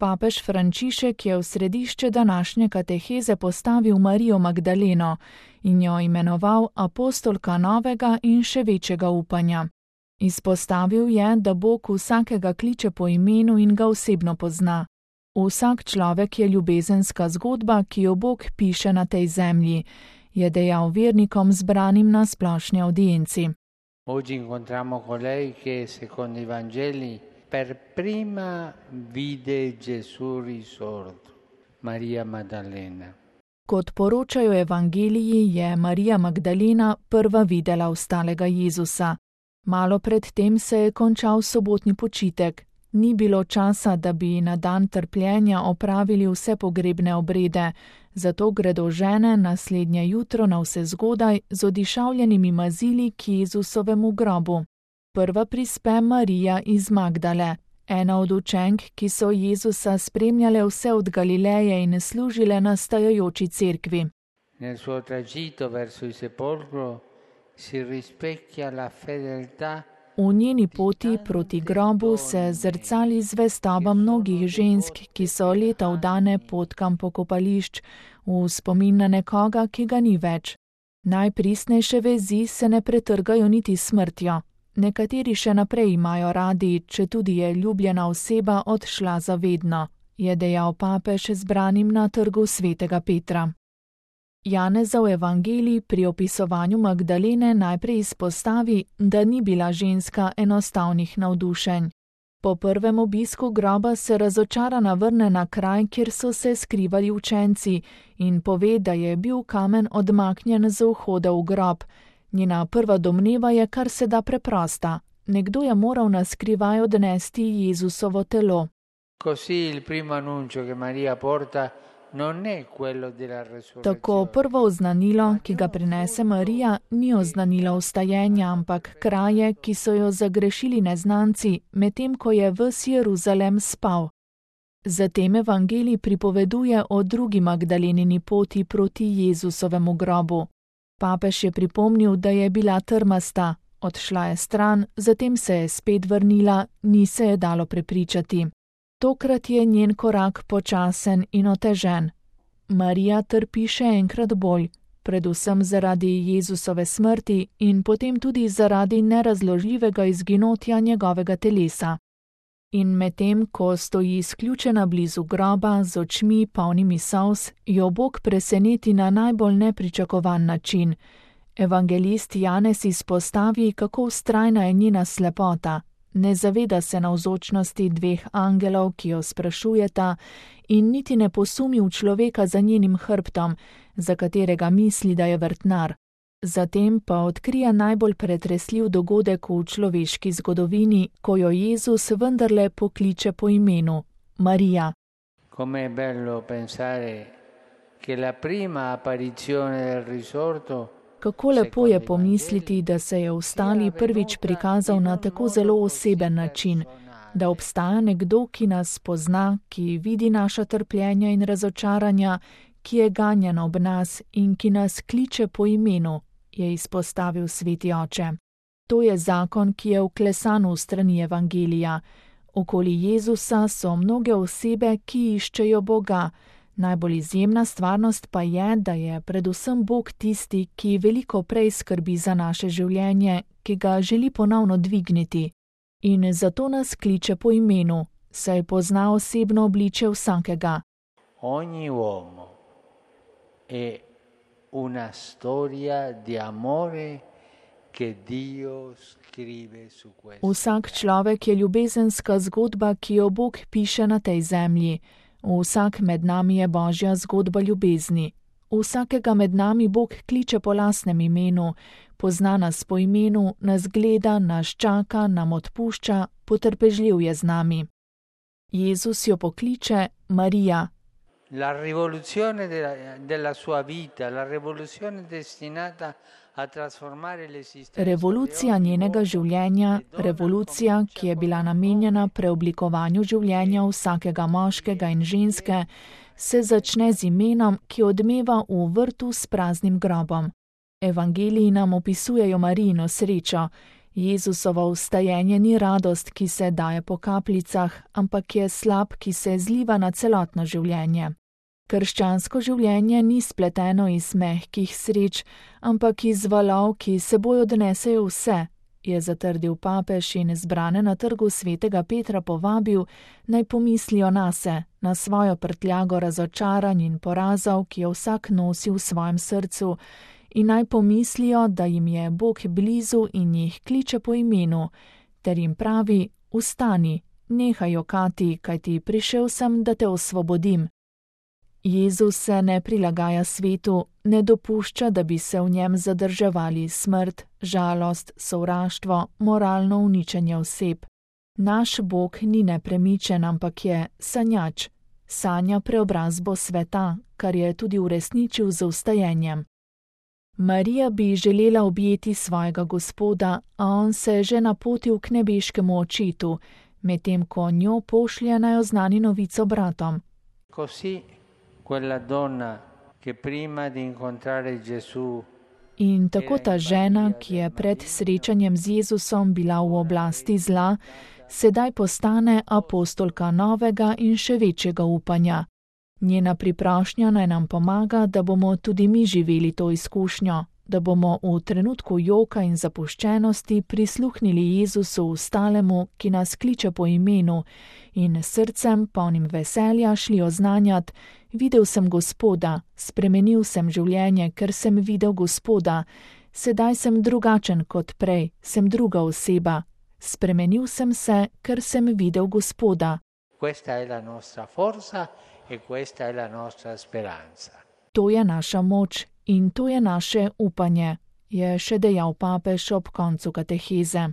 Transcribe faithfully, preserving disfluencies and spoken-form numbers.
Papež Frančišek je v središče današnje kateheze postavil Marijo Magdaleno in jo imenoval apostolka novega in še večjega upanja. Izpostavil je, da Bog vsakega kliče po imenu in ga osebno pozna. Vsak človek je ljubezenska zgodba, ki jo Bog piše na tej zemlji, je dejal vernikom zbranim na splošni audienci. Oggi incontriamo colei che secondo i Vangeli per prima vide Gesù risorto, Maria Maddalena. Kot poročajo evangeliji, je Marija Magdalena prva videla vstalega Jezusa. Malo pred tem se je končal sobotni počitek. Ni bilo časa, da bi na dan trpljenja opravili vse pogrebne obrede, zato gredo žene naslednje jutro navsezgodaj z odišavljenimi mazili k Jezusovemu grobu. Prva prispe Marija iz Magdale, ena od učenk, ki so Jezusa spremljale vse od Galileje in služile nastajajoči cerkvi. Nel suo tragitto verso il sepolcro si rispecchia la fedeltà. V njeni poti proti grobu se zrcali zvestoba mnogih žensk, ki so leta vdane potkam pokopališč, v spomin na nekoga, ki ga ni več. Najpristnejše vezi se ne pretrgajo niti smrtjo. Nekateri še naprej imajo radi, če tudi je ljubljena oseba odšla za vedno, je dejal papež zbranim na trgu svetega Petra. Janezov evangelij pri opisovanju Magdalene najprej izpostavi, da ni bila ženska enostavnih navdušenj. Po prvem obisku groba se razočarana vrne na kraj, kjer so se skrivali učenci, in pove, da je bil kamen odmaknjen z vhoda v grob. Njena prva domneva je kar se da preprosta. Nekdo je moral na skrivaj odnesti Jezusovo telo. Così il primo annuncio che Maria porta non è quello della resurrezione. Tako prvo oznanilo, ki ga prinese Marija, ni oznanilo vstajenja, ampak kraje, ki so jo zagrešili neznanci, medtem ko je ves Jeruzalem spal. Zatem evangelij pripoveduje o drugi Magdalenini poti proti Jezusovemu grobu. Papež je pripomnil, da je bila trmasta, odšla je stran, zatem se je spet vrnila, ni se je dalo prepričati. Tokrat je njen korak počasen in otežen. Marija trpi še enkrat bolj, predvsem zaradi Jezusove smrti in potem tudi zaradi nerazložljivega izginotja njegovega telesa. In medtem, ko stoji izključena blizu groba z očmi polnimi solz, jo Bog preseneti na najbolj nepričakovan način. Evangelist Janez izpostavi, kako vztrajna je njena slepota. Ne zaveda se navzočnosti dveh angelov, ki jo sprašujeta, in niti ne posumi v človeka za njenim hrbtom, za katerega misli, da je vrtnar. Zatem pa odkrije najbolj pretresljiv dogodek v človeški zgodovini, ko jo Jezus vendarle pokliče po imenu Marija. Come è bello pensare che la prima apparizione del risorto. Kako lepo je pomisliti, da se je vstali prvič prikazal na tako zelo oseben način, da obstaja nekdo, ki nas pozna, ki vidi naša trpljenja in razočaranja, ki je ganjen ob nas in ki nas kliče po imenu, je izpostavil sveti oče. To je zakon, ki je vklesan v strani evangelija. Okoli Jezusa so mnoge osebe, ki iščejo Boga. Najbolj izjemna stvarnost pa je, da je predvsem Bog tisti, ki veliko prej skrbi za naše življenje, ki ga želi ponovno dvigniti. In zato nas kliče po imenu, saj pozna osebno obličje vsakega. Ogni uomo è una storia di amore che Dio scrive su questo. Vsak človek je ljubezenska zgodba, ki jo Bog piše na tej zemlji. Vsak med nami je Božja zgodba ljubezni. Vsakega med nami Bog kliče po lastnem imenu, pozna nas po imenu, nas gleda, nas čaka, nam odpušča, potrpežljiv je z nami. Jezus jo pokliče Marija. La rivoluzione della, della sua vita, la rivoluzione destinata a trasformare l'esistenza. Revolucija njenega življenja, revolucija, ki je bila namenjena preoblikovanju življenja vsakega moškega in ženske, se začne z imenom, ki odmeva v vrtu s praznim grobom. Evangeliji nam opisujejo Marijino srečo Jezusovo vstajenje ni radost, ki se daje po kapljicah, ampak je slap, ki se zliva na celotno življenje. Krščansko življenje ni spleteno iz mehkih sreč, ampak iz valov, ki seboj odnesejo vse, je zatrdil papež in zbrane na trgu svetega Petra povabil, naj pomislijo nase, na svojo prtljago razočaranj in porazov, ki jo vsak nosi v svojem srcu, in naj pomislijo, da jim je Bog blizu in jih kliče po imenu, ter jim pravi: vstani, nehaj jokati, kajti prišel sem, da te osvobodim. Jezus se ne prilagaja svetu, ne dopušča, da bi se v njem zadrževali smrt, žalost, sovraštvo, moralno uničenje oseb. Naš Bog ni nepremičen, ampak je sanjač, sanja preobrazbo sveta, kar je tudi uresničil z vstajenjem. Marija bi želela objeti svojega Gospoda, a on se je že napotil k nebeškemu očetu, medtem ko njo pošlje naj oznani novico bratom. Così quella donna che prima di incontrare Gesù In tako ta žena, ki je pred srečanjem z Jezusom bila v oblasti zla, sedaj postane apostolka novega in še večjega upanja. Njena priprošnja naj nam pomaga, da bomo tudi mi živeli to izkušnjo, da bomo v trenutku joka in zapuščenosti prisluhnili Jezusu ostalemu, ki nas kliče po imenu, in srcem, polnim veselja, šli oznanjat: videl sem Gospoda, spremenil sem življenje, ker sem videl Gospoda, sedaj sem drugačen kot prej, sem druga oseba, spremenil sem se, ker sem videl Gospoda. Questa è la nostra forza e questa è la nostra speranza. To je naša moč in to je naše upanje, je še dejal papež ob koncu kateheze.